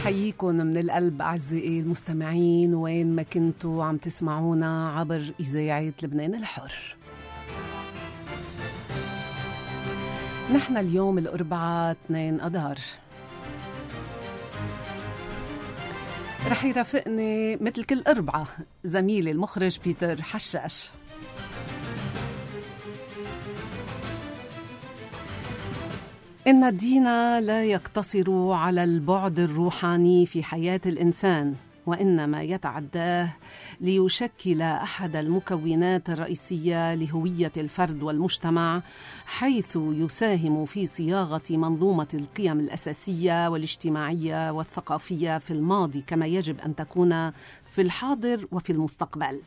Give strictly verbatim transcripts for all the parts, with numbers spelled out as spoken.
حييكم من القلب أعزائي المستمعين وين ما كنتوا عم تسمعونا عبر إذاعة لبنان الحر. نحن اليوم الأربعاء اثنين أذار. رح يرافقني مثل كل أربعة زميلي المخرج بيتر حشاش. إن الدين لا يقتصر على البعد الروحاني في حياة الإنسان، وإنما يتعداه ليشكل أحد المكونات الرئيسية لهوية الفرد والمجتمع، حيث يساهم في صياغة منظومة القيم الأساسية والاجتماعية والثقافية في الماضي كما يجب أن تكون في الحاضر وفي المستقبل.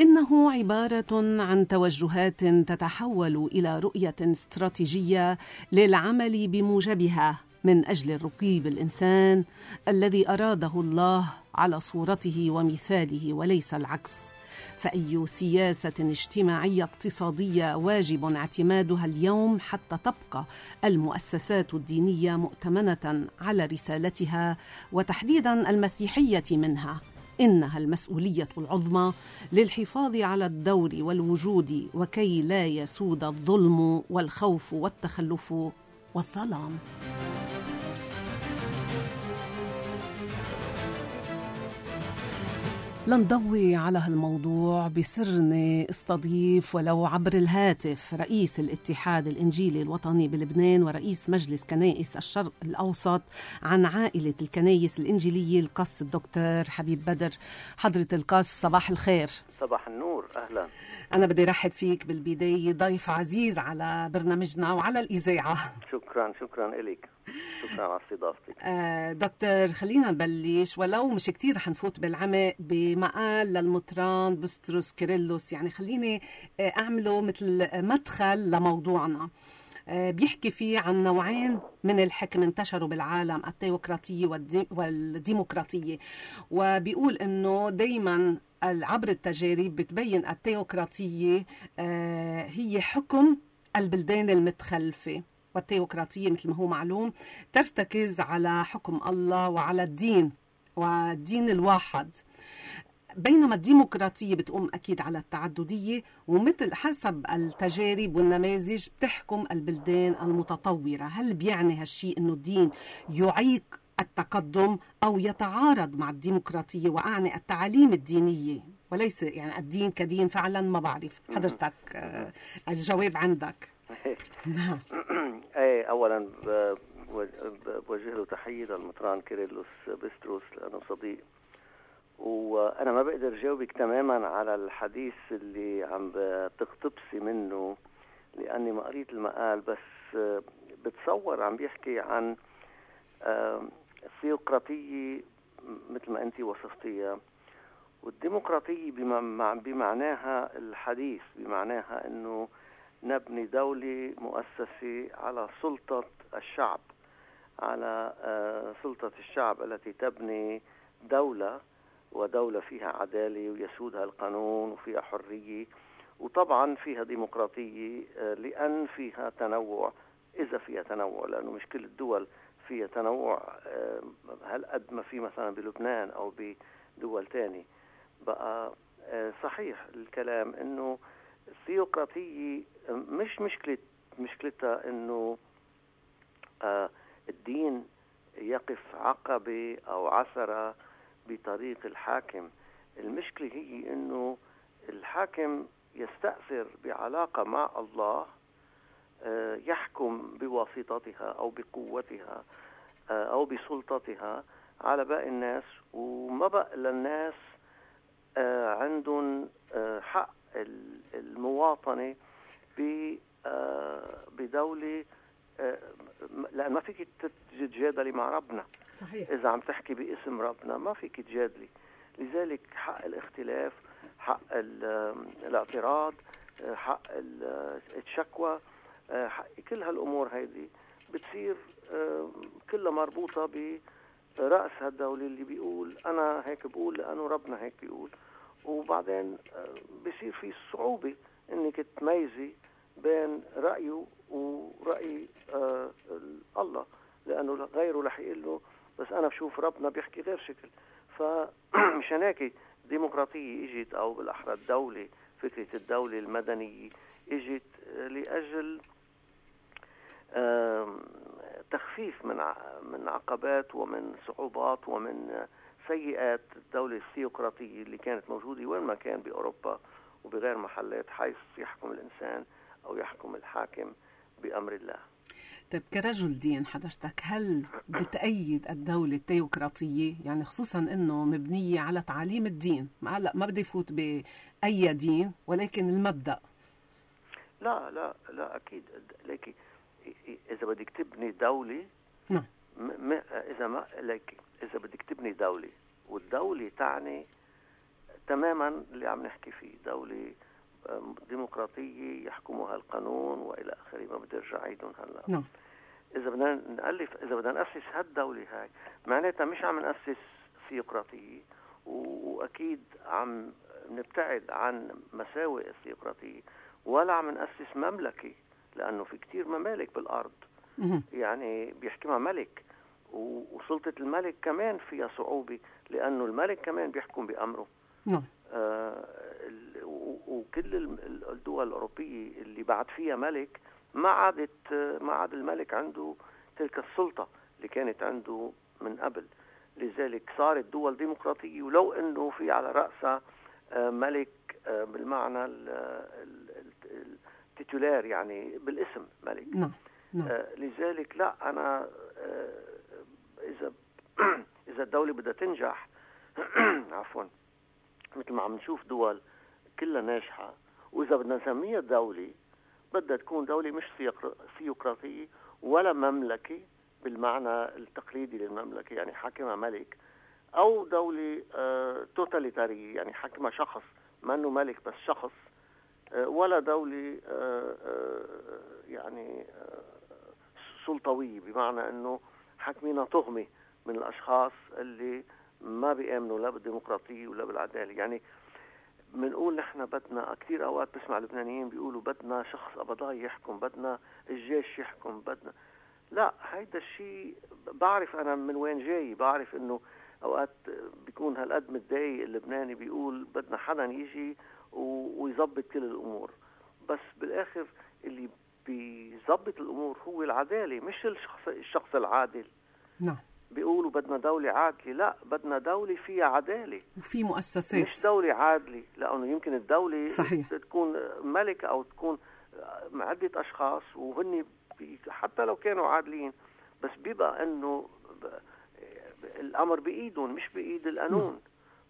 إنه عبارة عن توجهات تتحول إلى رؤية استراتيجية للعمل بموجبها من أجل الرقي بالإنسان الذي أراده الله على صورته ومثاله وليس العكس. فأي سياسة اجتماعية اقتصادية واجب اعتمادها اليوم حتى تبقى المؤسسات الدينية مؤتمنة على رسالتها وتحديدا المسيحية منها. إنها المسؤولية العظمى للحفاظ على الدور والوجود وكي لا يسود الظلم والخوف والتخلف والظلام. لنضوي على هالموضوع بسرني استضيف ولو عبر الهاتف رئيس الاتحاد الإنجيلي الوطني بلبنان ورئيس مجلس كنائس الشرق الأوسط عن عائلة الكنائس الإنجيلية القس الدكتور حبيب بدر. حضرة القس صباح الخير. صباح النور، أهلا. أنا بدي رحب فيك بالبداية، ضيف عزيز على برنامجنا وعلى الإذاعة. شكرا شكرا إليك، شكرا على استضافتك. آه دكتور، خلينا نبلش ولو مش كتير رح نفوت بالعمق بمقال للمطران بستروس كيرلس، يعني خليني آه أعمله مثل مدخل لموضوعنا. آه بيحكي فيه عن نوعين من الحكم انتشروا بالعالم، التيوقراطية والديمقراطية، وبيقول إنه دايما عبر التجارب بتبين التيوقراطية آه هي حكم البلدان المتخلفة، والتيوقراطية مثل ما هو معلوم ترتكز على حكم الله وعلى الدين والدين الواحد، بينما الديمقراطية بتقوم أكيد على التعددية ومثل حسب التجارب والنماذج بتحكم البلدان المتطورة. هل بيعني هالشيء أنه الدين يعيق التقدم أو يتعارض مع الديمقراطية؟ وأعني التعاليم الدينية وليس يعني الدين كدين فعلا. ما بعرف حضرتك الجواب عندك. نعم. ايه اولا بوجه له تحيه للمطران كيرلس بستروس لانه صديق، وانا ما بقدر جاوبك تماما على الحديث اللي عم بتقتبسي منه لاني ما قريت المقال، بس بتصور عم بيحكي عن الثيوقراطيه مثل ما انت وصفتيها، والديمقراطيه بمعناها الحديث، بمعناها انه نبني دولة مؤسسة على سلطة الشعب، على سلطة الشعب التي تبني دولة، ودولة فيها عدالة ويسودها القانون وفيها حرية، وطبعا فيها ديمقراطية لأن فيها تنوع، إذا فيها تنوع، لأنه مش كل الدول فيها تنوع هل قد ما في مثلا بلبنان أو بدول تاني. بقى صحيح الكلام إنه الثيوقراطية مش مشكلة مشكلتها انه آه الدين يقف عقبة او عثرة بطريق الحاكم. المشكلة هي انه الحاكم يستأثر بعلاقة مع الله، آه يحكم بواسطتها او بقوتها آه او بسلطتها على باقي الناس، وما بقى للناس آه عندهم آه حق المواطنة بدولة، لأن ما فيك تتجادلي مع ربنا. صحيح. إذا عم تحكي باسم ربنا ما فيك تجادلي، لذلك حق الاختلاف، حق الاعتراض، حق الشكوى، حق كل هالأمور هيدي بتصير كلها مربوطة برأس هالدولة اللي بيقول أنا هيك بقول لأنه ربنا هيك بيقول، وبعدين بيصير في صعوبة انك تميزي بين رأيه ورأي آه الله، لأنه غيره رح يقول له بس أنا بشوف ربنا بيحكي غير شكل. فمشان هيك الديمقراطية اجت، أو بالأحرى الدولة، فكرة الدولة المدنية اجت لأجل تخفيف من من عقبات ومن صعوبات ومن سيئات الدولة الثيوقراطية اللي كانت موجودة وين ما كان بأوروبا وبغير محلات، حيث يحكم الإنسان أو يحكم الحاكم بأمر الله. طيب كرجل دين حضرتك، هل بتأيد الدولة الثيوقراطية؟ يعني خصوصا أنه مبنية على تعاليم الدين. ما هلا ما بدي يفوت بأي دين، ولكن المبدأ. لا لا لا أكيد. لكن إذا بدك تبني دولة، نعم، م... إذا ما لك إذا بدك تبني دولة، والدولة تعني تماما اللي عم نحكي فيه، دولة ديمقراطية يحكمها القانون وإلى آخره، ما بدي أرجع عيدهم هلا. نعم. إذا بدنا نألف إذا بدنا نأسس هالدولة هاي، معناتها مش عم نأسس ثيوقراطية، وأكيد عم نبتعد عن مساوئ الثيوقراطية، ولا عم نأسس مملكة، لأنه في كتير ممالك بالأرض يعني بيحكمها ملك، وسلطة الملك كمان فيها صعوبة، لأنه الملك كمان بيحكم بأمره. نعم. آه وكل الدول الأوروبية اللي بعد فيها ملك ما عادت ما عاد الملك عنده تلك السلطة اللي كانت عنده من قبل. لذلك صارت دول ديمقراطية، ولو أنه في على رأسها ملك بالمعنى التيتولار، يعني بالاسم ملك. نعم. نعم. لذلك لا، أنا إذا إذا الدولة بدها تنجح عفوا، مثل ما عم نشوف دول كلها ناجحة، وإذا بدنا نسميها دولة بدها تكون دولة مش ثيوقراطية ولا مملكة بالمعنى التقليدي للمملكة، يعني حاكمها ملك، أو دولة آه توتاليتارية، يعني حاكمها شخص ما أنه ملك بس شخص، آه ولا دولة آه آه يعني آه سلطوية بمعنى أنه حاكمينها طغمة من الأشخاص اللي ما بيآمنوا لا بالديمقراطية ولا بالعدالة. يعني بنقول نحن بدنا، كثير أوقات بسمع لبنانيين بيقولوا بدنا شخص قبضاي يحكم، بدنا الجيش يحكم، بدنا. لا، هيدا الشيء بعرف أنا من وين جاي، بعرف إنه أوقات بيكون هالقد متضايق اللبناني بيقول بدنا حدا يجي ويظبط كل الأمور، بس بالآخر اللي بيظبط الأمور هو العدالة، مش الشخص الشخص العادل. نعم. بيقولوا بدنا دولة عادلة، لا، بدنا دولة فيها عدالة وفي مؤسسات، مش دولة عادلة، لأنه يمكن الدولة صحيح. تكون ملك أو تكون عدة أشخاص وهن حتى لو كانوا عادلين، بس بيبقى أنه الأمر بإيدهم مش بإيد القانون.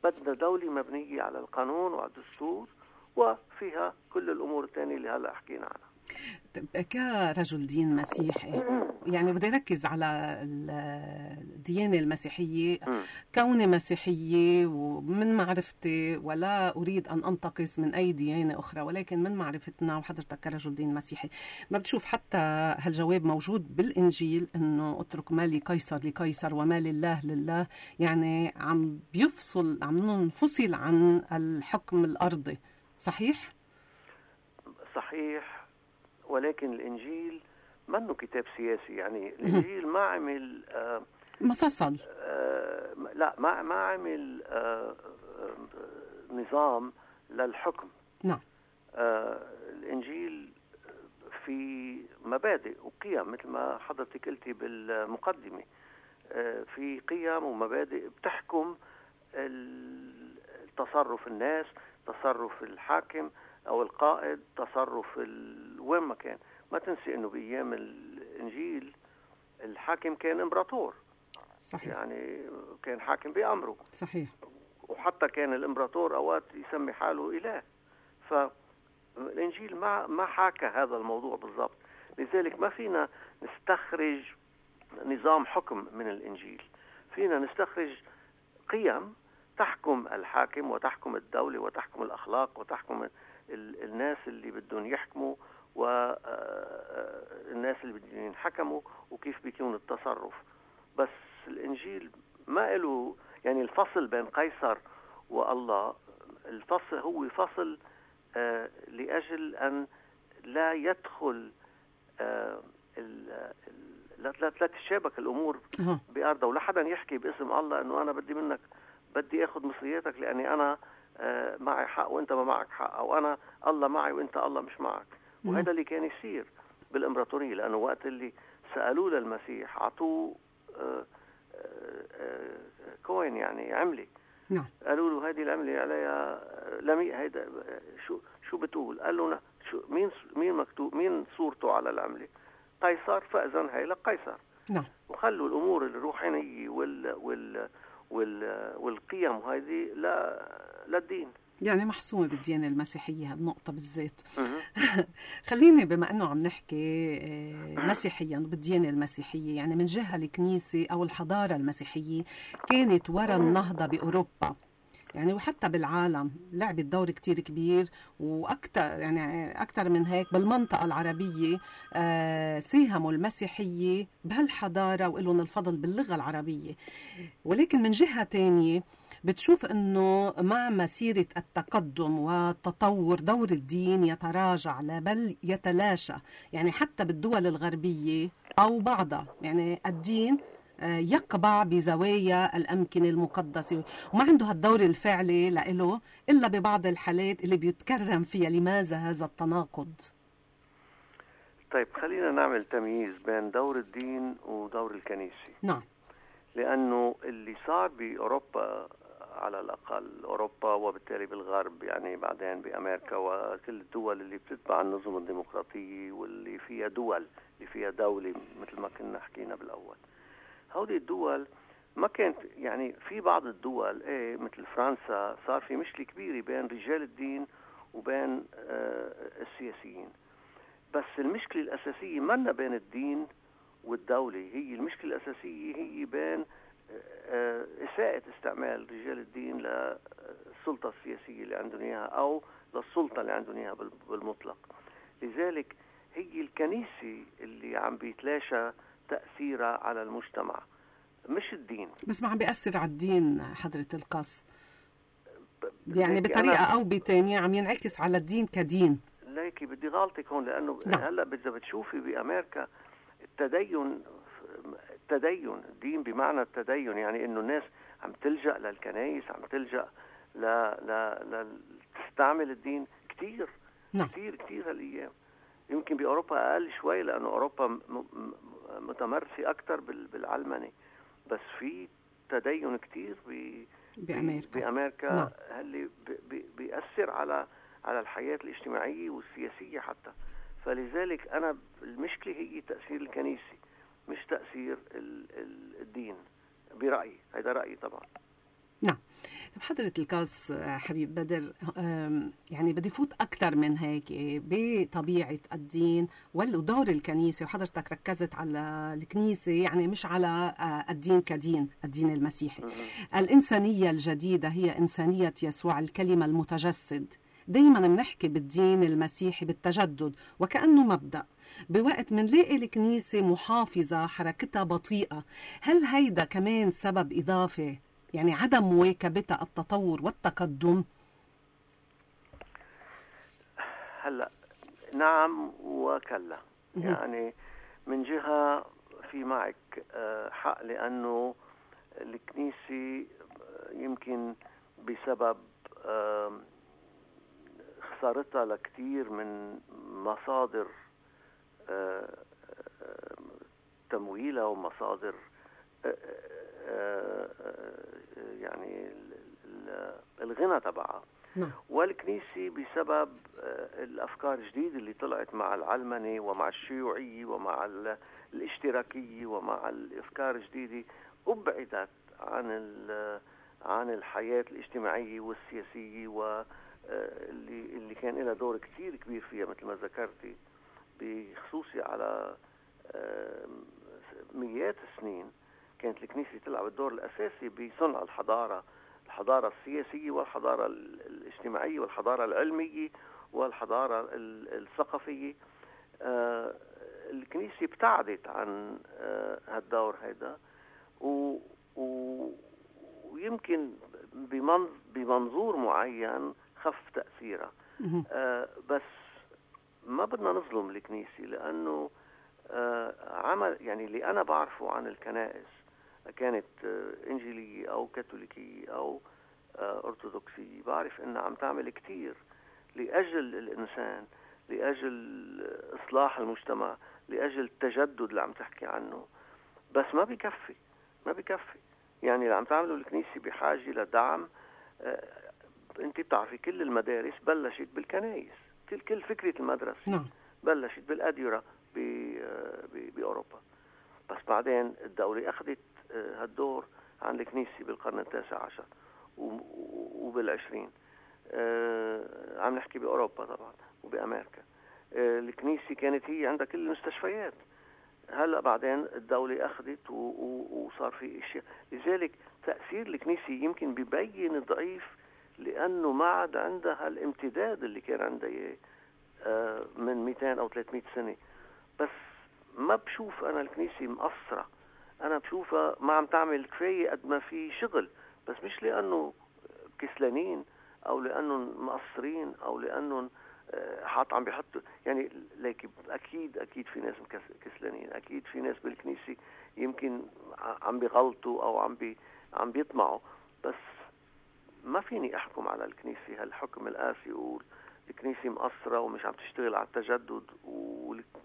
بدنا دولة مبنية على القانون وعلى الدستور وفيها كل الأمور الثانية اللي هلأ حكينا عنها. كرجل دين مسيحي، يعني بدي ركز على الديانة المسيحية، كوني مسيحية ومن معرفتي، ولا أريد أن أنتقص من أي ديانة أخرى، ولكن من معرفتنا وحضرتك كرجل دين مسيحي ما بتشوف حتى هالجواب موجود بالإنجيل، أنه اترك ما لقيصر لقيصر وما لله لله، يعني عم بيفصل عم ننفصل عن الحكم الأرضي. صحيح؟ صحيح، ولكن الإنجيل ما إنه كتاب سياسي، يعني الإنجيل ما عمل آه ما فصل آه لا ما ما عمل آه آه نظام للحكم. نعم. آه الإنجيل في مبادئ وقيم مثل ما حضرتك قلتي بالمقدمة، آه في قيم ومبادئ بتحكم تصرف الناس، تصرف الحاكم أو القائد، تصرف وين ما كان. ما تنسي أنه بأيام الإنجيل الحاكم كان إمبراطور. صحيح. يعني كان حاكم بأمره. صحيح. وحتى كان الإمبراطور أوقات يسمي حاله إله. فالإنجيل ما ما حاكى هذا الموضوع بالضبط. لذلك ما فينا نستخرج نظام حكم من الإنجيل، فينا نستخرج قيم تحكم الحاكم وتحكم الدولة وتحكم الأخلاق وتحكم الناس اللي بدهم يحكموا والناس اللي بدهم ينحكموا وكيف بيكون التصرف. بس الإنجيل ما له يعني الفصل بين قيصر والله، الفصل هو فصل آه لأجل أن لا يدخل آه لا لا تتشابك الامور أه. بارضها، ولا حدا يحكي باسم الله انه انا بدي منك بدي اخذ مصرياتك لاني انا آه معي حق وانت ما معك حق، او انا الله معي وانت الله مش معك. وهذا اللي كان يصير بالامبراطوريه، لانه وقت اللي سالوه للمسيح اعطوه آه آه آه كوين يعني عمله. نعم. قالوا له هذه العمله عليها لمي هيدا شو شو بتقول؟ قال له شو مين مين مكتوب مين صورته على العمله؟ قيصر، فاذا هي لقيصر. نعم. وخلوا الامور الروحانيه وال وال وال والقيم هذه لا للدين. يعني محسومة بالديانة المسيحية هالنقطة بالذات. خليني بما أنه عم نحكي مسيحيا بالديانة المسيحية، يعني من جهة الكنيسة أو الحضارة المسيحية كانت وراء النهضة بأوروبا، يعني وحتى بالعالم لعبت دور كتير كبير، وأكتر يعني أكتر من هيك بالمنطقة العربية آه ساهموا المسيحية بهالحضارة وإلهم الفضل باللغة العربية. ولكن من جهة تانية بتشوف أنه مع مسيرة التقدم والتطور دور الدين يتراجع لا بل يتلاشى، يعني حتى بالدول الغربية أو بعضها يعني الدين يقبع بزوايا الأمكنة المقدسة وما عنده هالدور الفعلي لإله إلا ببعض الحالات اللي بيتكرم فيها. لماذا هذا التناقض؟ طيب خلينا نعمل تمييز بين دور الدين ودور الكنيسة. نعم. لأنه اللي صار بأوروبا على الأقل أوروبا وبالتالي بالغرب، يعني بعدين بأمريكا وكل الدول اللي بتتبع النظم الديمقراطية واللي فيها دول اللي فيها دولة مثل ما كنا حكينا بالأول، هودي الدول ما كانت يعني في بعض الدول ايه مثل فرنسا صار في مشكلة كبيرة بين رجال الدين وبين آه السياسيين، بس المشكلة الأساسية منا بين الدين والدولة، هي المشكلة الأساسية هي بين آه إساءة استعمال رجال الدين للسلطة السياسية اللي عندهم إياها أو للسلطة اللي عندهم إياها بالمطلق. لذلك هي الكنيسة اللي عم بيتلاشى تأثيرها على المجتمع مش الدين. بس ما عم بيأثر على الدين حضرة القس، يعني بطريقة أو بتانية عم ينعكس على الدين كدين. ليكي بدي غلطك هون، لأنه نعم. هلأ إذا بتشوفي بأمريكا التدين التدين الدين بمعنى التدين، يعني إنه الناس عم تلجأ للكنائس، عم تلجأ ل ل ل تستعمل الدين كتير. نعم. كتير كتير هالأيام. يمكن بأوروبا أقل شوي لأنه أوروبا متمرسة أكتر بالعلمنة، بس في تدين كتير بأمريكا, بأمريكا نعم. اللي بيأثر على على الحياة الاجتماعية والسياسية حتى. فلذلك أنا المشكلة هي تأثير الكنيسة مش تأثير الدين برأيي. هذا رأيي طبعا. نعم. حضرة القس حبيب بدر، يعني بدي فوت أكتر من هيك بطبيعة الدين ودور الكنيسة، وحضرتك ركزت على الكنيسة يعني مش على الدين كدين الدين المسيحي. الإنسانية الجديدة هي إنسانية يسوع الكلمة المتجسد. دايما بنحكي بالدين المسيحي بالتجدد وكأنه مبدأ، بوقت منلاقي الكنيسة محافظة حركتها بطيئة. هل هيدا كمان سبب إضافي، يعني عدم مواكبتها التطور والتقدم؟ هلا نعم وكلا. يعني من جهة في معك حق، لأنه الكنيسة يمكن بسبب خسارتها لكثير من مصادر تمويلها ومصادر يعني الغنى تبعها. نعم. والكنيسة بسبب الأفكار الجديدة اللي طلعت مع العلمنة ومع الشيوعية ومع الاشتراكية ومع الأفكار الجديدة أبعدت عن عن الحياة الاجتماعية والسياسية، واللي اللي كان لها دور كثير كبير فيها مثل ما ذكرتي، بخصوصي على مئات السنين كانت الكنيسة تلعب الدور الأساسي بصنع الحضارة، الحضارة السياسية والحضارة الاجتماعية والحضارة العلمية والحضارة الثقافية. آه الكنيسة ابتعدت عن آه هالدور هذا، ويمكن بمنظور معين خف تأثيرها. آه بس ما بدنا نظلم الكنيسة، لأنه عمل يعني اللي أنا بعرفه عن الكنائس كانت إنجيلية أو كاثوليكية أو أرثوذكسية، بعرف إنها عم تعمل كتير لأجل الإنسان، لأجل إصلاح المجتمع، لأجل التجدد اللي عم تحكي عنه. بس ما بيكفي ما بيكفي يعني اللي عم تعمله الكنيسة بحاجة لدعم. آه انت بتعرفي كل المدارس بلشت بالكنائس، كل كل فكرة المدرسة نعم. بلشت بالأديرة بأوروبا، بس بعدين الدولة أخذت هالدور عن الكنيسة بالقرن التاسع عشر وبالعشرين. آه عم نحكي بأوروبا طبعا وبأمريكا. آه الكنيسة كانت هي عندها كل المستشفيات، هلأ بعدين الدولة أخذت وصار في إشياء. لذلك تأثير الكنيسة يمكن بيبين ضعيف، لأنه ما عاد عندها الامتداد اللي كان عندها آه من مئتين أو ثلاثمئة سنة. بس ما بشوف أنا الكنيسة مقصرة، أنا بشوفها ما عم تعمل كفاية قد ما في شغل، بس مش لأنه كسلانين أو لأنهم مقصرين أو لأنهم حاط عم بيحطوا يعني. لكن أكيد أكيد في ناس كسلانين، أكيد في ناس بالكنيسة يمكن عم بيغلطوا أو عم بي عم بيطمعوا. بس ما فيني أحكم على الكنيسة هالحكم القاسي يقول الكنيسة مقصرة ومش عم تشتغل على التجدد،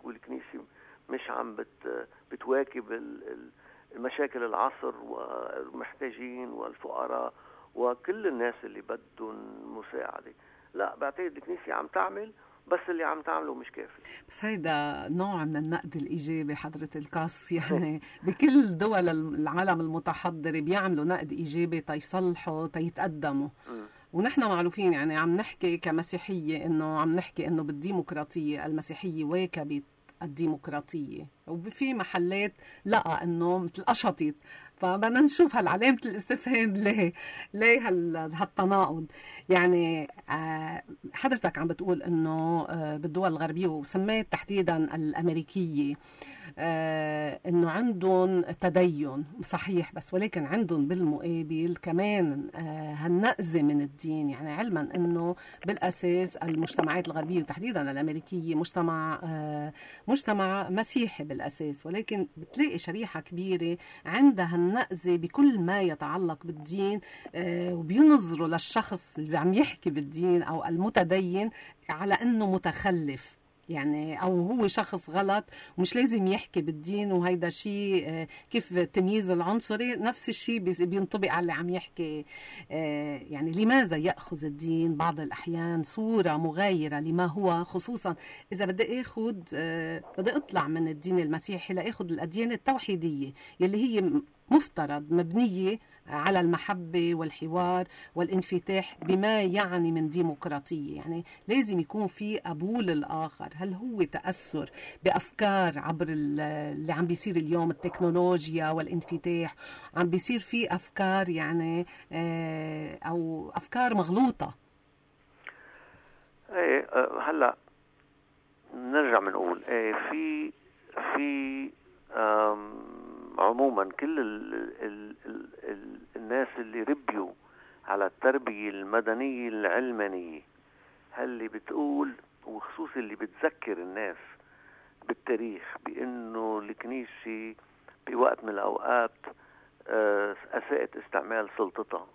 والكنيسة مش عم بت بتواكب المشاكل العصر والمحتاجين والفقراء وكل الناس اللي بدهم مساعدة. لا، بعتقد الكنيسة عم تعمل، بس اللي عم تعمله مش كافي. بس هيدا نوع من النقد الإيجابي حضرة القاس، يعني بكل دول العالم المتحضرة بيعملوا نقد إيجابي تيصلحوا تيتقدموا. ونحن معروفين يعني عم نحكي كمسيحية إنه عم نحكي إنه بالديمقراطية المسيحية واكبت الديمقراطية، وفي محلات لقى إنه مثل قشطت. فبدنا نشوف هالعلامة الاستفهام ليه ليه هالتناقض. يعني حضرتك عم بتقول إنه بالدول الغربية وسميت تحديدا الأمريكية إنه عندهم تدين صحيح، بس ولكن عندهم بالمقابل كمان هالنقزة من الدين. يعني علما إنه بالأساس المجتمعات الغربية وتحديدا الأمريكية مجتمع مجتمع مسيحي بالأساس، ولكن بتلاقي شريحة كبيرة عندها النقزة بكل ما يتعلق بالدين، وبينظروا للشخص اللي عم يحكي بالدين أو المتدين على أنه متخلف يعني، أو هو شخص غلط ومش لازم يحكي بالدين. وهيدا شيء كيف التمييز العنصري نفس الشيء بينطبق على اللي عم يحكي. يعني لماذا يأخذ الدين بعض الأحيان صورة مغايرة لما هو، خصوصا إذا بدي أخذ بدي أطلع من الدين المسيحي لأخذ الأديان التوحيدية يلي هي مفترض مبنية على المحبة والحوار والانفتاح بما يعني من ديمقراطية. يعني لازم يكون في قبول الآخر. هل هو تأثر بأفكار عبر اللي عم بيصير اليوم، التكنولوجيا والانفتاح، عم بيصير في أفكار يعني أو أفكار مغلوطة؟ ايه هلا نرجع بنقول ايه في في عموما كل ال ال ال ال الناس اللي ربيوا على التربية المدنية العلمانية، هاللي بتقول وخصوصا اللي بتذكر الناس بالتاريخ بأنه الكنيسة بوقت من الأوقات أساءت استعمال سلطتها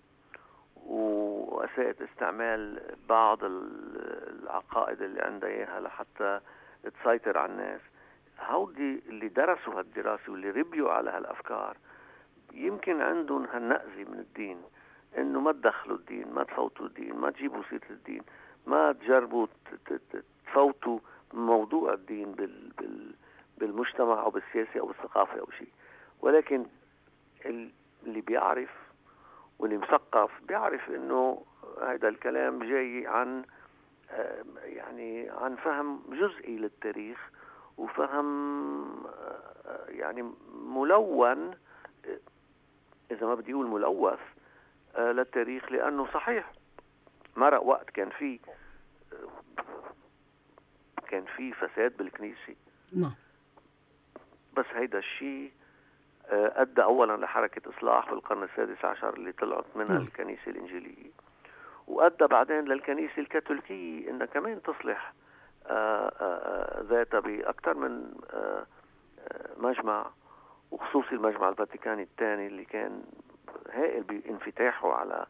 وأساءت استعمال بعض العقائد اللي عندها إياها لحتى تسيطر على الناس. هودي اللي درسوا هالدراسة واللي ربيوا على هالأفكار يمكن عندهم هالنقزة من الدين، إنه ما تدخلوا الدين، ما تفوتوا الدين، ما تجيبوا سيرة الدين، ما تجربوا تفوتوا موضوع الدين بال بال بالمجتمع أو بالسياسة أو بالثقافة أو شيء. ولكن اللي بيعرف واللي مثقف بيعرف إنه هذا الكلام جاي عن يعني عن فهم جزئي للتاريخ وفهم يعني ملون، إذا ما بدي أقول ملوث للتاريخ، لأنه صحيح مرق وقت كان في كان في فساد بالكنيسة. نعم. بس هيدا الشيء أدى أولا لحركة إصلاح بالقرن السادس عشر اللي طلعت منها م. الكنيسة الإنجيلية، وأدى بعدين للكنيسة الكاثوليكية إنها كمان تصلح ذاتها بأكثر من مجمع، وخصوصي المجمع الفاتيكاني الثاني اللي كان هائل بانفتاحه على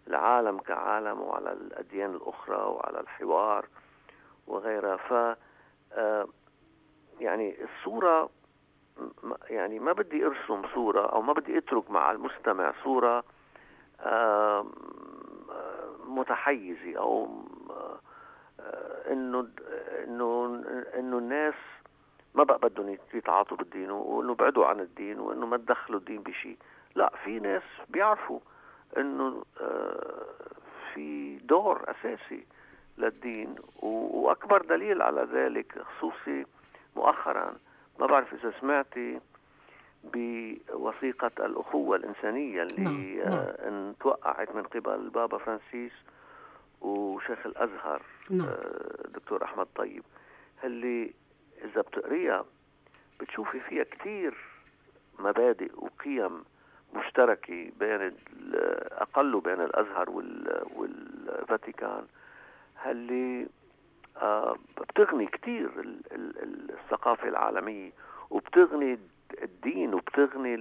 العالم كعالم وعلى الأديان الأخرى وعلى الحوار وغيرها. ف يعني الصورة يعني ما بدي أرسم صورة أو ما بدي أترك مع المستمع صورة متحيزة أو إنه إنه إنه الناس ما بقى بدهم يتعاطوا بالدين وإنه بعدوا عن الدين وإنه ما تدخلوا الدين بشيء. لا، في ناس بيعرفوا إنه في دور أساسي للدين، وأكبر دليل على ذلك خصوصي مؤخرا، ما بعرف إذا سمعتي بوثيقة الأخوة الإنسانية اللي نعم. نعم. توقعت من قبل البابا فرانسيس وشيخ الأزهر نعم. دكتور أحمد طيب، اللي إذا بتقريها بتشوفي فيها كتير مبادئ وقيم مشتركة بين أقل بين الأزهر والفاتيكان، اللي بتغني كتير الثقافة العالمية وبتغني الدين وبتغني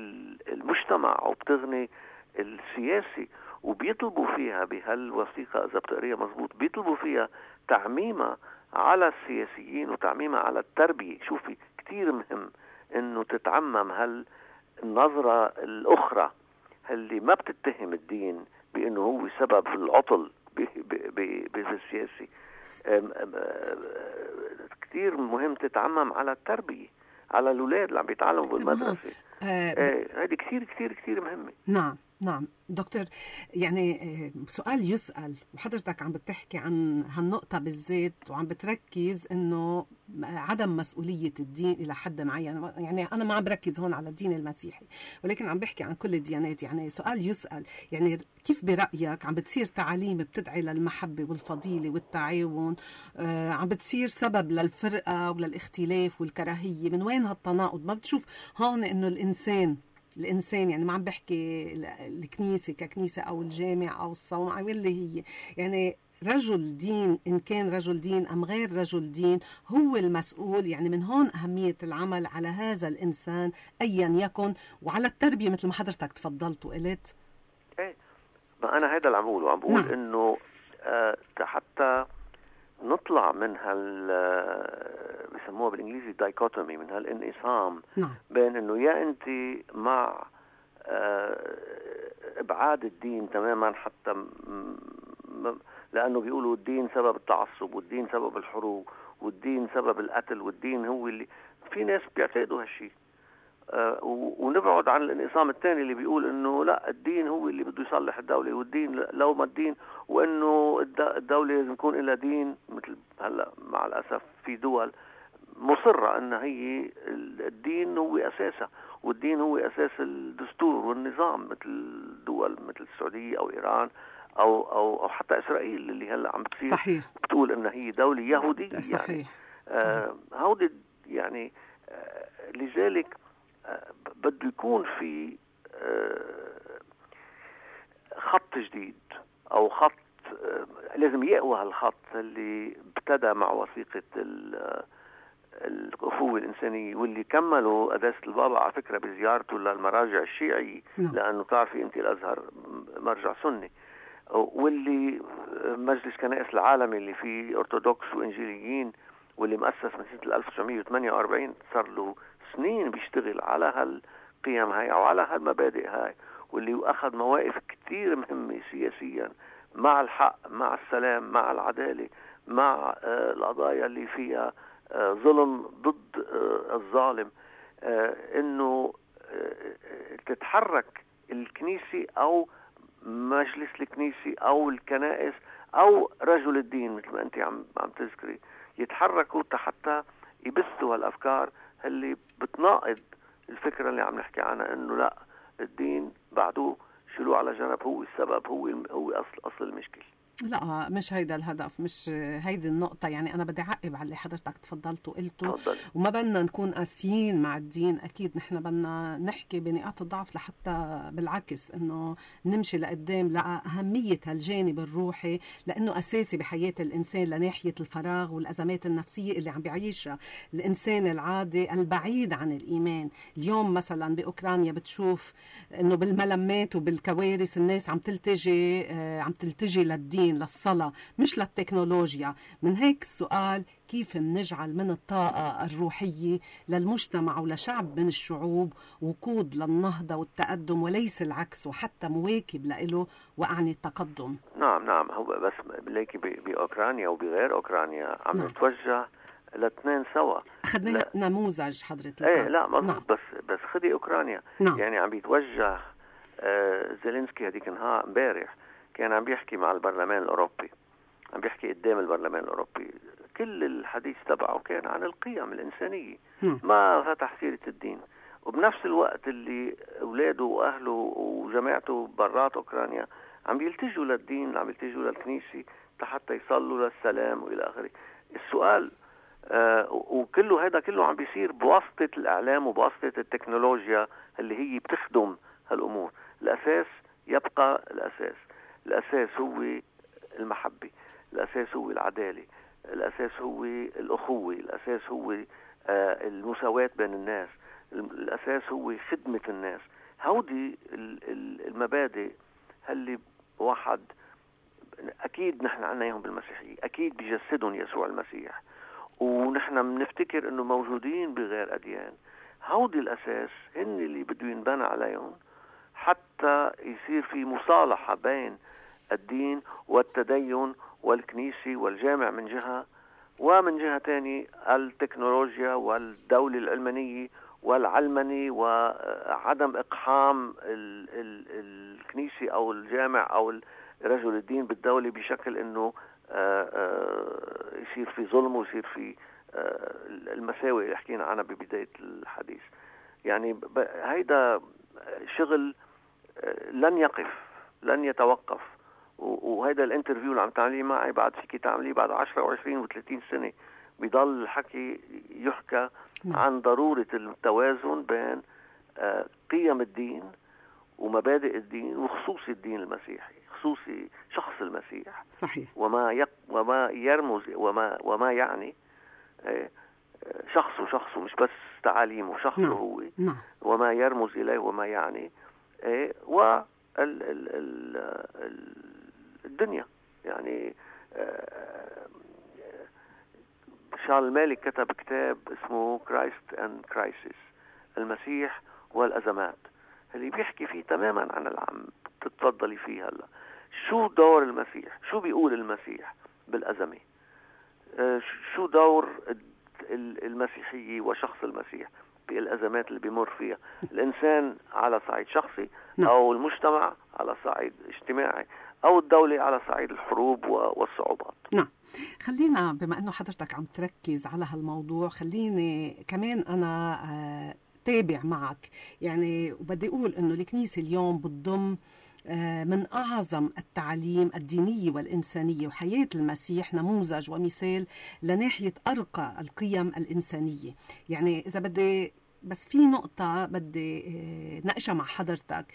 المجتمع وبتغني السياسي. وبيطلبوا فيها بهالوثيقة إذا بتقريها مظبوط، بيطلبوا فيها تعميمها على السياسيين وتعميمها على التربية. شوفي كتير مهم إنه تتعمم هالنظرة الأخرى اللي ما بتتهم الدين بإنه هو سبب العطل بالسياسي. كتير مهم تتعمم على التربية، على الأولاد اللي عم بيتعلموا بالمدرسة. هذه ب... كتير كتير كتير مهمة. نعم نعم دكتور، يعني سؤال يسأل وحضرتك عم بتحكي عن هالنقطة بالذات وعم بتركز إنه عدم مسؤولية الدين إلى حد معين. يعني أنا ما عم بركز هون على الدين المسيحي ولكن عم بحكي عن كل الديانات. يعني سؤال يسأل، يعني كيف برأيك عم بتصير تعاليم بتدعي للمحبة والفضيلة والتعاون آه عم بتصير سبب للفرقة وللاختلاف والكراهية؟ من وين هالتناقض؟ ما بتشوف هون إنه الإنسان الإنسان يعني ما عم بحكي الكنيسة ككنيسة أو الجامع أو الصومعة واللي هي يعني رجل دين، إن كان رجل دين أم غير رجل دين، هو المسؤول. يعني من هون أهمية العمل على هذا الإنسان أيا يكن، وعلى التربية مثل ما حضرتك تفضلت وقلت. إيه، ما أنا هذا اللي عم بقوله، عم بقول نعم. إنه آه حتى نطلع من هال بسموها بالإنجليزي دايكوتومي، من هالانقسام نعم. بين إنه يا أنت مع إبعاد الدين تماما، حتى م... لأنه بيقولوا الدين سبب التعصب والدين سبب الحروب والدين سبب القتل والدين هو اللي في ناس بيعتقدوا هالشيء. آه ونبعد عن الانقسام الثاني اللي بيقول انه لا، الدين هو اللي بده يصلح الدولة، والدين لو ما الدين، وانه الدولة لازم يكون لها دين. مثل هلا مع الاسف في دول مصرة ان هي الدين هو اساسها، والدين هو اساس الدستور والنظام، مثل دول مثل السعودية او ايران او او او حتى اسرائيل اللي هلا عم بتصير صحيح. بتقول ان هي دولة يهودية. صحيح. يعني آه هودي يعني آه لذلك بده يكون في خط جديد او خط لازم يقوى هالخط اللي ابتدى مع وثيقة الأخوة الإنسانية، واللي كملوا قداسة البابا على فكرة بزيارته للمراجع الشيعي نعم. لأنه تعرفي أنت الأزهر مرجع سني، واللي مجلس كنائس العالمي اللي فيه أرثوذكس وإنجيليين، واللي مؤسس من سنة ألف وتسعمية وثمانية وأربعين، صار له سنين بيشتغل على هالقيم هاي أو على هالمبادئ هاي، واللي أخذ مواقف كتير مهمة سياسيا مع الحق، مع السلام، مع العدالة، مع آه القضايا اللي فيها آه ظلم ضد آه الظالم. آه إنه آه تتحرك الكنيسة أو مجلس الكنيسة أو الكنائس أو رجل الدين مثل ما أنت عم عم تذكري، يتحركوا حتى يبثوا هالأفكار اللي بتناقض الفكرة اللي عم نحكي عنها، إنه لا، الدين بعده شيلوه على جنب، هو السبب، هو هو أصل أصل المشكلة. لا مش هيدا الهدف، مش هيدي النقطة. يعني أنا بدي أعقب على اللي حضرتك تفضلت وقلته، وما بدنا نكون قاسيين مع الدين. أكيد نحن بدنا نحكي بنقاط الضعف لحتى بالعكس إنه نمشي لقدام لأهمية هالجانب الروحي، لأنه أساسي بحياة الإنسان لناحية الفراغ والأزمات النفسية اللي عم بيعيشها الإنسان العادي البعيد عن الإيمان. اليوم مثلا بأوكرانيا بتشوف إنه بالملمات وبالكوارث الناس عم تلتجي عم تلتجي للدين، للصلاة، مش للتكنولوجيا. من هيك السؤال: كيف منجعل من الطاقة الروحية للمجتمع ولشعب من الشعوب وقود للنهضة والتقدم وليس العكس، وحتى مواكب له وأعني التقدم؟ نعم نعم هو بس ليكي بأوكرانيا وبغير أوكرانيا عم نعم. نتوجه الاثنين سوا. أخذنا نموذج حضرتك. ايه لا مظبوط. نعم. بس بس خدي أوكرانيا. نعم. يعني عم بيتوجه آه زيلينسكي هديك النهار امبارح كان عم بيحكي مع البرلمان الأوروبي، عم بيحكي قدام البرلمان الأوروبي. كل الحديث تبعه كان عن القيم الإنسانية، ما فتح سيرة الدين. وبنفس الوقت اللي أولاده وأهله وجماعته برات أوكرانيا عم يلتجوا للدين، عم يلتجوا للكنيسة حتى يصلوا للسلام وإلى آخره. السؤال آه وكله هذا كله عم بيصير بواسطة الإعلام وبواسطة التكنولوجيا اللي هي بتخدم هالأمور. الأساس يبقى الأساس. الأساس هو المحبة، الأساس هو العدالة، الأساس هو الأخوة، الأساس هو آه المساواة بين الناس، الأساس هو خدمة الناس. هودي المبادئ اللي واحد أكيد نحن عناهم بالمسيحية، أكيد بيجسدهم يسوع المسيح، ونحن بنفتكر أنه موجودين بغير أديان. هودي الأساس هن اللي بده ينبنى عليهم حتى يصير في مصالحة بين الدين والتدين والكنيسة والجامع من جهة، ومن جهة تاني التكنولوجيا والدولة العلمانية والعلمني وعدم إقحام ال ال الكنيسة أو الجامع أو رجل الدين بالدولة بشكل أنه يصير في ظلم ويصير في المساوئ اللي حكينا عنها ببداية الحديث. يعني هيدا شغل لن يقف، لن يتوقف. وهذا الانترفيو اللي عم تعمليه معي بعد فيك تعمليه بعد عشرة وعشرين وثلاثين سنة بيضل الحكي يحكى عن ضرورة التوازن بين قيم الدين ومبادئ الدين وخصوصي الدين المسيحي، خصوصي شخص المسيح. صحيح. وما يق وما يرمز وما وما يعني شخصه شخصه مش بس تعاليمه، شخصه نعم. هو نعم. وما يرمز إليه وما يعني و الدنيا. يعني شارل مالك كتب كتاب اسمه Christ and Crisis، المسيح والأزمات، اللي بيحكي فيه تماما عن العام تتفضلي فيه هلا. شو دور المسيح؟ شو بيقول المسيح بالأزمة؟ شو دور المسيحية وشخص المسيح بالأزمات اللي بيمر فيها الإنسان على صعيد شخصي، أو المجتمع على صعيد اجتماعي، أو الدولة على صعيد الحروب والصعوبات؟ نعم. خلينا بما أنه حضرتك عم تركز على هالموضوع، خليني كمان أنا آه تابع معك. يعني وبدي أقول أنه الكنيسة اليوم بتضم من أعظم التعاليم الدينية والإنسانية، وحياة المسيح نموذج ومثال لناحية أرقى القيم الإنسانية. يعني إذا بدي بس في نقطة بدي ناقشها مع حضرتك،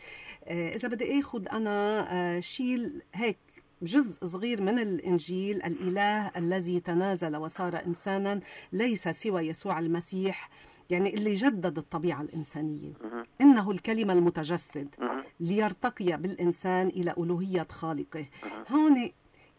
إذا بدي أخذ أنا شيل هيك جزء صغير من الإنجيل: الإله الذي تنازل وصار إنسانا ليس سوى يسوع المسيح، يعني اللي جدد الطبيعة الإنسانية. إنه الكلمة المتجسد ليرتقي بالإنسان إلى ألوهية خالقه. هون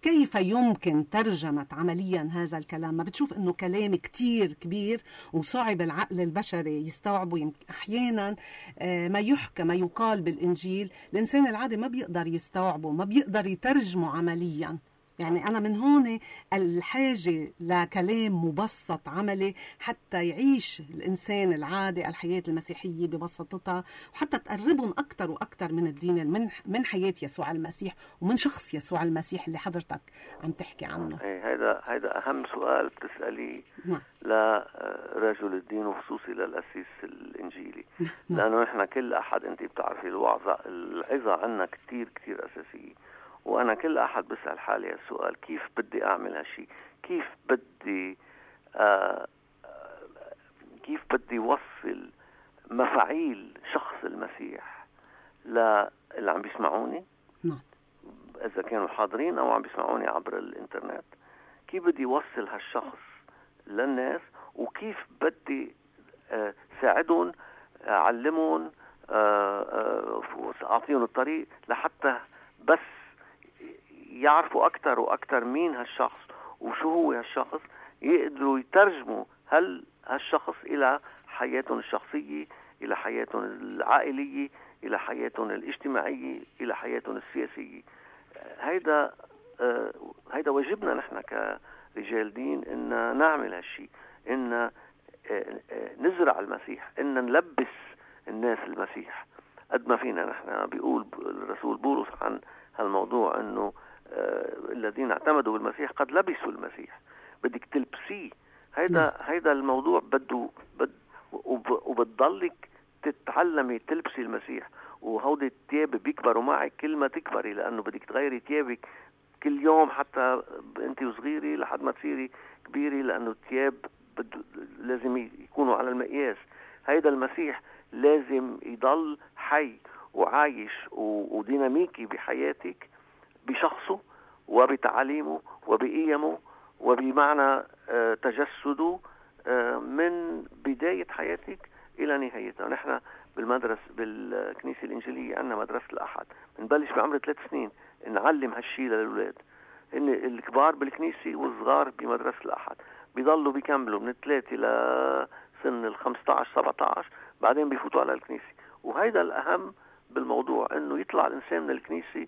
كيف يمكن ترجمة عمليا هذا الكلام؟ ما بتشوف إنه كلام كتير كبير وصعب العقل البشري يستوعبه؟ أحيانا ما يحكى ما يقال بالإنجيل الإنسان العادي ما بيقدر يستوعبه، ما بيقدر يترجمه عمليا. يعني أنا من هون الحاجة لكلام مبسط عملي حتى يعيش الإنسان العادي الحياة المسيحية ببساطتها، وحتى تقربهم أكتر وأكتر من الدين، من من حياة يسوع المسيح ومن شخص يسوع المسيح اللي حضرتك عم تحكي عنه. هذا هذا أهم سؤال بتسأليه لرجل الدين وخصوصي للأسيس الإنجيلي. لأنه إحنا كل أحد أنت بتعرفي الوعظة العظة عنا كتير كتير أساسية، وأنا كل أحد بسأل حالي السؤال: كيف بدي أعمل هالشي؟ كيف بدي آه كيف بدي وصل مفاعيل شخص المسيح للي عم بيسمعوني، نعم، إذا كانوا حاضرين أو عم بيسمعوني عبر الإنترنت؟ كيف بدي وصل هالشخص للناس؟ وكيف بدي آه ساعدهم، أعلمهم، آه آه أعطيهم الطريق لحتى بس يعرفوا أكتر وأكتر مين هالشخص وشو هو هالشخص، يقدروا يترجموا هل هالشخص إلى حياتهم الشخصية، إلى حياتهم العائلية، إلى حياتهم الاجتماعية، إلى حياتهم السياسية. هيدا آه هيدا واجبنا نحن كرجال دين، إن نعمل هالشي، إن آه آه نزرع المسيح، إن نلبس الناس المسيح قد ما فينا. نحن بيقول الرسول بولس عن هالموضوع إنه آه الذين اعتمدوا بالمسيح قد لبسوا المسيح. بدك تلبسيه. هيدا هيدا الموضوع بده بد وبتضلك تتعلمي تلبسي المسيح. وهودي التياب بيكبروا معك كل ما تكبري، لأنه بدك تغيري تيابك كل يوم حتى انت وصغيري لحد ما تصيري كبيري، لأنه التياب لازم يكونوا على المقياس. هيدا المسيح لازم يضل حي وعايش وديناميكي بحياتك، بشخصه وبتعاليمه وبقيمه وبمعنى تجسده من بداية حياتك إلى نهايتها. نحن بالمدرسة بالكنيسة الإنجيلية عندنا مدرسة الأحد، بنبلش بعمر ثلاث سنين نعلم هالشي للأولاد. إن الكبار بالكنيسة والصغار بمدرسة الأحد بيضلوا بيكملوا من الثلاثة لسن الخمسة عشر سبعة عشر، بعدين بيفوتوا على الكنيسة. وهيدا الأهم بالموضوع، إنه يطلع الإنسان من الكنيسة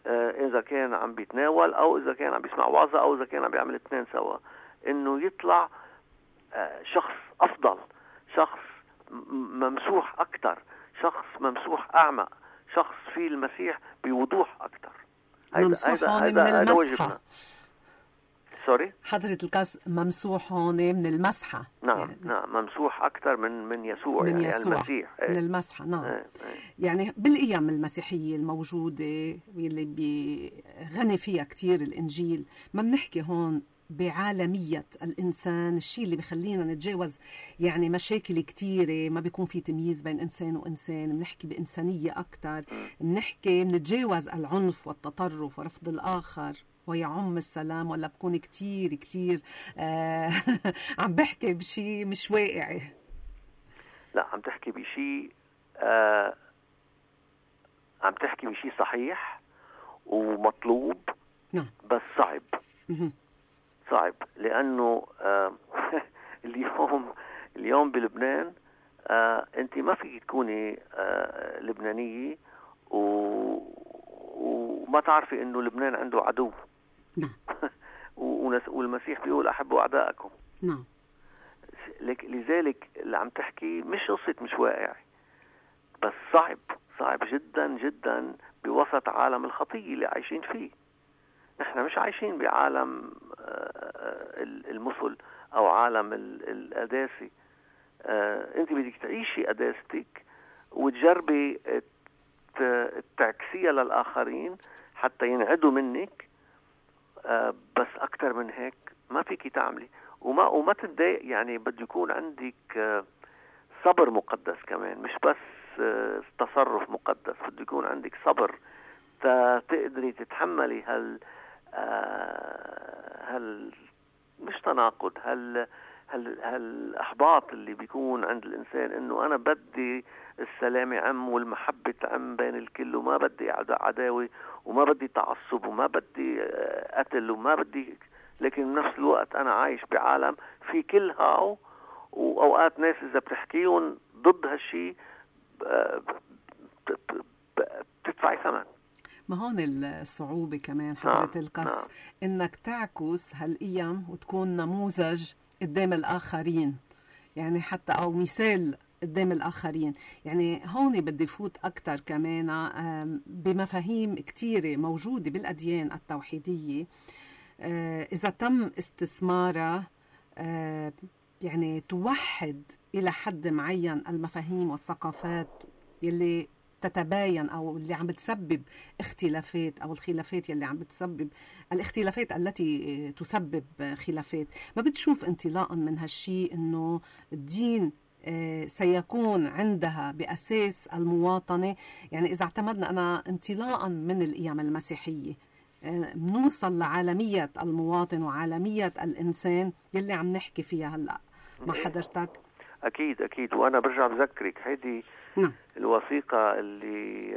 آه إذا كان عم بيتناول أو إذا كان عم بيسمع وعظة أو إذا كان عم بيعمل اثنين سوا، إنه يطلع آه شخص أفضل، شخص ممسوح أكتر، شخص ممسوح أعمق، شخص فيه المسيح بوضوح أكتر. ممسوح هون من المسحة. سوري حضرة القس ممسوح هون من المسحة. نعم يعني نعم ممسوح أكتر من من يسوع، من يعني يسوع المسيح من ايه. المسحة. نعم ايه ايه. يعني بالقيم المسيحية الموجودة اللي بيغني فيها كتير الإنجيل، ما بنحكي هون بعالمية الإنسان، الشيء اللي بيخلينا نتجاوز يعني مشاكل كتيرة، ما بيكون في تمييز بين إنسان وإنسان، بنحكي بإنسانية أكتر، بنحكي بنتجاوز العنف والتطرف ورفض الآخر ويعم السلام. ولا بكون كتير كتير آه عم بحكي بشي مش واقعي؟ لا، عم تحكي بشي آه عم تحكي بشي صحيح ومطلوب. نعم. بس صعب. صعب لأنه آه اليوم اليوم بلبنان آه أنت ما فيك تكوني آه لبنانية و... وما تعرفي إنه لبنان عنده عدو. نعم. والمسيح بيقول أحبوا أعداءكم. نعم. لذلك اللي عم تحكي مش قصة مش واقع، بس صعب صعب جدا جدا بوسط عالم الخطية اللي عايشين فيه. نحن مش عايشين بعالم المثل أو عالم القداسة. أنت بدك تعيشي قداستك وتجربي تعكسيها للآخرين حتى ينعدوا منك. بس أكتر من هيك ما فيك تعملي. وما وما تتضايق، يعني بده يكون عندك صبر مقدس كمان، مش بس تصرف مقدس. بده يكون عندك صبر تقدري تتحملي هال هل مش تناقض، هل هل هالاحباط اللي بيكون عند الانسان، انه انا بدي السلام عم والمحبه عم بين الكل، وما بدي عداوه وما بدي تعصب وما بدي قتل وما بدي، لكن بنفس الوقت انا عايش بعالم في كل هاو. واوقات ناس اذا بتحكيهم ضد هالشيء بتدفعي ثمن. ما هون الصعوبة كمان حضرة نعم. القس نعم. إنك تعكس هالقيم وتكون نموذج قدام الآخرين، يعني حتى أو مثال قدام الآخرين. يعني هون بدي فوت أكتر كمان بمفاهيم كتيرة موجودة بالأديان التوحيدية، إذا تم استثمارها يعني توحد إلى حد معين المفاهيم والثقافات يلي تتباين أو اللي عم بتسبب اختلافات أو الخلافات يلي عم بتسبب الاختلافات التي تسبب خلافات، ما بتشوف انطلاقا من هالشي إنه الدين سيكون عندها بأساس المواطنة؟ يعني إذا اعتمدنا أنا انطلاقا من القيم المسيحية بنوصل لعالمية المواطن وعالمية الإنسان يلي عم نحكي فيها هلأ مع حضرتك. أكيد أكيد، وأنا برجع بذكرك هيدي نعم. الوثيقة اللي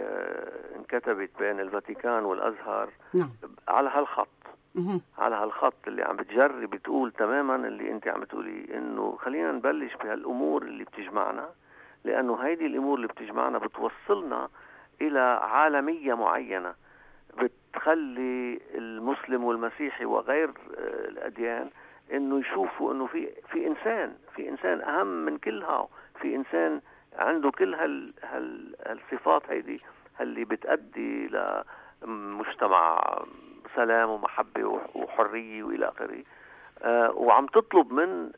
انكتبت بين الفاتيكان والأزهر نعم. على هالخط مه. على هالخط اللي عم بتجرب بتقول تماما اللي انت عم تقولي، انه خلينا نبلش بهالامور اللي بتجمعنا، لانه هيدي الامور اللي بتجمعنا بتوصلنا الى عالمية معينة بتخلي المسلم والمسيحي وغير الاديان انه يشوفوا انه في في انسان في انسان اهم من كلها، في انسان عنده كل هال هال هالصفات هيدي اللي بتؤدي لمجتمع سلام ومحبة وحرية وإلى آخره. آه وعم تطلب من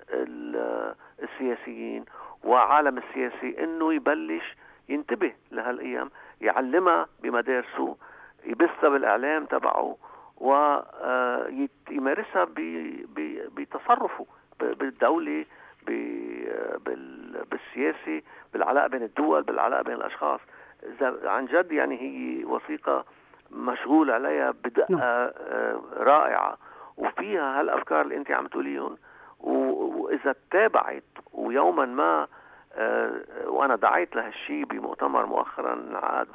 السياسيين وعالم السياسي إنه يبلش ينتبه لهالأيام، يعلمها بمدارسه، يبثها بالإعلام تبعه، ويمارسها بتصرفه بالدولة، بالسياسة، بالعلاقة بين الدول، بالعلاقة بين الأشخاص. عن جد يعني هي وثيقة مشغول عليها بدقة رائعة، وفيها هالأفكار اللي أنت عم تقوليهم، وإذا تابعت ويوما ما وأنا دعيت لهالشي بمؤتمر مؤخرا عاد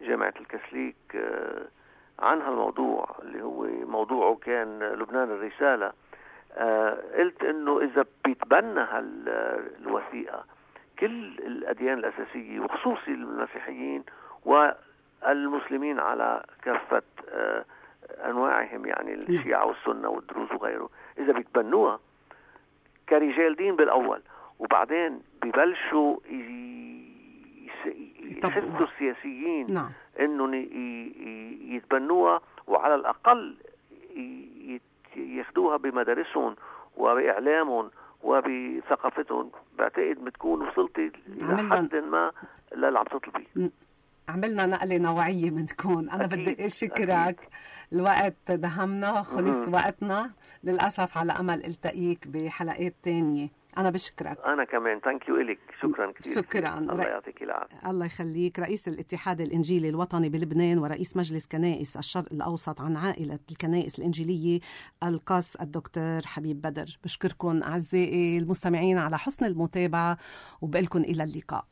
بجامعة الكاثوليك عن هالموضوع اللي هو موضوعه كان لبنان الرسالة، قلت إنه إذا بيتبنى هالوثيقة كل الأديان الأساسية وخصوصي المسيحيين والمسلمين على كافة أنواعهم، يعني الشيعة والسنة والدروز وغيره، إذا بيتبنوها كرجال دين بالأول، وبعدين بيبلشوا يحثوا السياسيين نعم. إنه يتبنوها، وعلى الأقل ياخدوها بمدارسهم وبإعلامهم وبثقافتهم، بعتقد بتكون وصلتي لحد ما للي عم تطلبي. عملنا نقلة نوعية منكم. أنا أكيد. بدي أشكرك. الوقت دهمنا، خلص وقتنا للأسف، على أمل التقيك بحلقات تانية. أنا بشكرك. أنا كمان ثانك يو إلك، شكرا كثير. شكرا. الله يعطيك العافية. الله يخليك. رئيس الاتحاد الإنجيلي الوطني بلبنان ورئيس مجلس كنائس الشرق الأوسط عن عائلة الكنائس الإنجيلية القس الدكتور حبيب بدر. بشكركم أعزائي المستمعين على حسن المتابعة، وبقلكم إلى اللقاء.